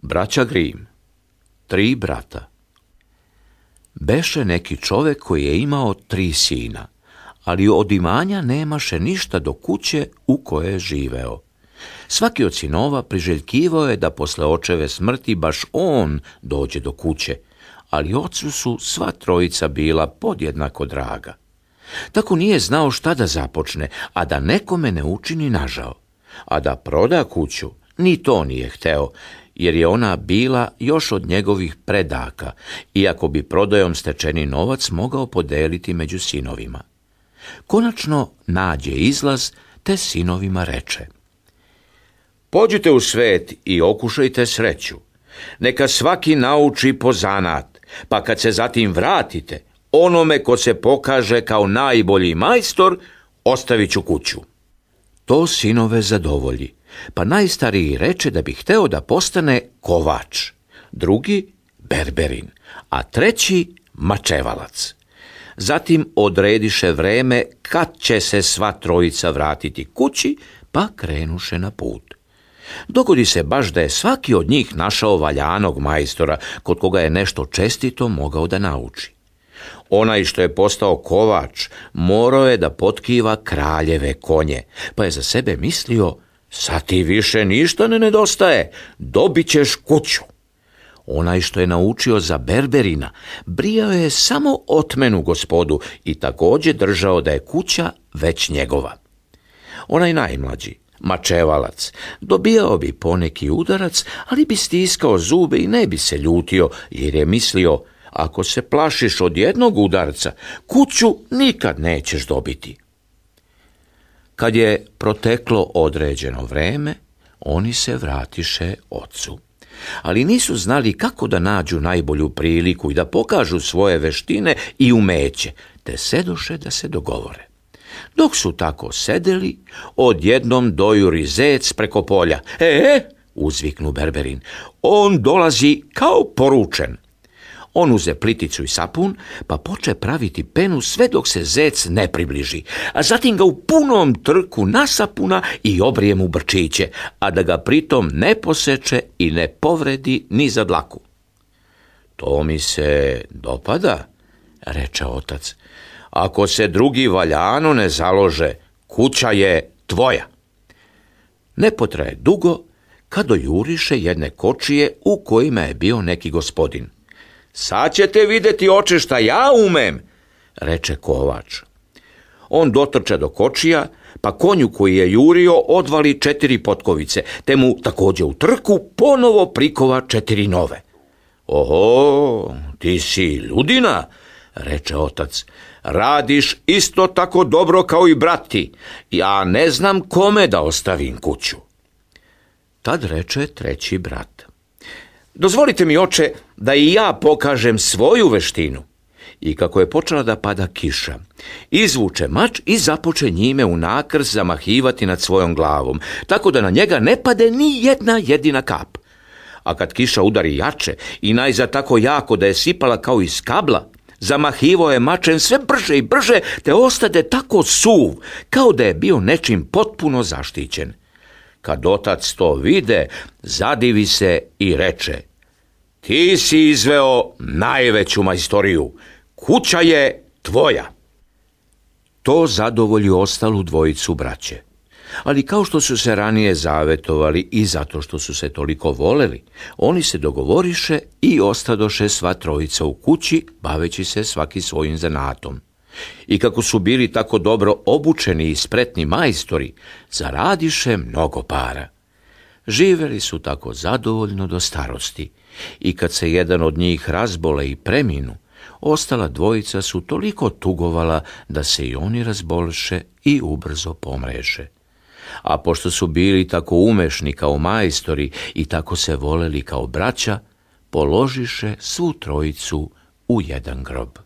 Braća Grim, 3 brata. Beše neki čovek koji je imao 3 sina, ali od imanja nemaše ništa do kuće u kojoj je živeo. Svaki od sinova priželjkivao je da posle očeve smrti baš on dođe do kuće, ali ocu su sva 3 bila podjednako draga. Tako nije znao šta da započne, a da nekome ne učini nažao. A da proda kuću, ni to nije hteo, jer je ona bila još od njegovih predaka, iako bi prodajom stečeni novac mogao podeliti među sinovima. Konačno nađe izlaz, te sinovima reče: Pođite u svet i okušajte sreću. Neka svaki nauči po zanat, pa kad se zatim vratite, onome ko se pokaže kao najbolji majstor, ostavit ću kuću. To sinove zadovolji, pa najstariji reče da bi hteo da postane kovač, drugi berberin, a 3 mačevalac. Zatim odrediše vreme kad će se sva 3 vratiti kući, pa krenuše na put. Dogodi se baš da je svaki od njih našao valjanog majstora, kod koga je nešto čestito mogao da nauči. Onaj što je postao kovač morao je da potkiva kraljeve konje, pa je za sebe mislio: sad ti više ništa ne nedostaje, dobit ćeš kuću. Onaj što je naučio za berberina brijao je samo otmenu gospodu i također držao da je kuća već njegova. Onaj najmlađi, mačevalac, dobijao bi poneki udarac, ali bi stiskao zube i ne bi se ljutio, jer je mislio: ako se plašiš od jednog udarca, kuću nikad nećeš dobiti. Kad je proteklo određeno vreme, oni se vratiše ocu. Ali nisu znali kako da nađu najbolju priliku i da pokažu svoje veštine i umeće, te sedoše da se dogovore. Dok su tako sedeli, odjednom dojuri zec preko polja. Uzviknu berberin, on dolazi kao poručen. On uze pliticu i sapun, pa poče praviti penu sve dok se zec ne približi, a zatim ga u punom trku nasapuna i obrije mu brčiće, a da ga pritom ne poseče i ne povredi ni za dlaku. To mi se dopada, reče otac. Ako se drugi valjano ne založe, kuća je tvoja. Ne potraje dugo, kad dojuriše jedne kočije u kojima je bio neki gospodin. Sad ćete vidjeti, oče, šta ja umem, reče kovač. On dotrča do kočija, pa konju koji je jurio odvali 4 potkovice, te mu također u trku ponovo prikova 4 nove. Oho, ti si ludina, reče otac. Radiš isto tako dobro kao i brati. Ja ne znam kome da ostavim kuću. Tad reče 3 brat. Dozvolite mi, oče, da i ja pokažem svoju veštinu. I kako je počela da pada kiša, izvuče mač i započe njime u nakrs zamahivati nad svojom glavom, tako da na njega ne pade ni jedna jedina kap. A kad kiša udari jače i najzad tako jako da je sipala kao iz kabla, zamahivao je mačem sve brže i brže, te ostade tako suv, kao da je bio nečim potpuno zaštićen. Kad otac to vide, zadivi se i reče: ti si izveo najveću majstoriju, kuća je tvoja. To zadovolji ostalu 2 braće. Ali kao što su se ranije zavetovali i zato što su se toliko voleli, oni se dogovoriše i ostadoše sva 3 u kući, baveći se svaki svojim zanatom. I kako su bili tako dobro obučeni i spretni majstori, zaradiše mnogo para. Živeli su tako zadovoljno do starosti i kad se jedan od njih razbole i preminu, ostala 2 su toliko tugovala da se i oni razbolše i ubrzo pomreše. A pošto su bili tako umešni kao majstori i tako se voleli kao braća, položiše svu 3 u jedan grob.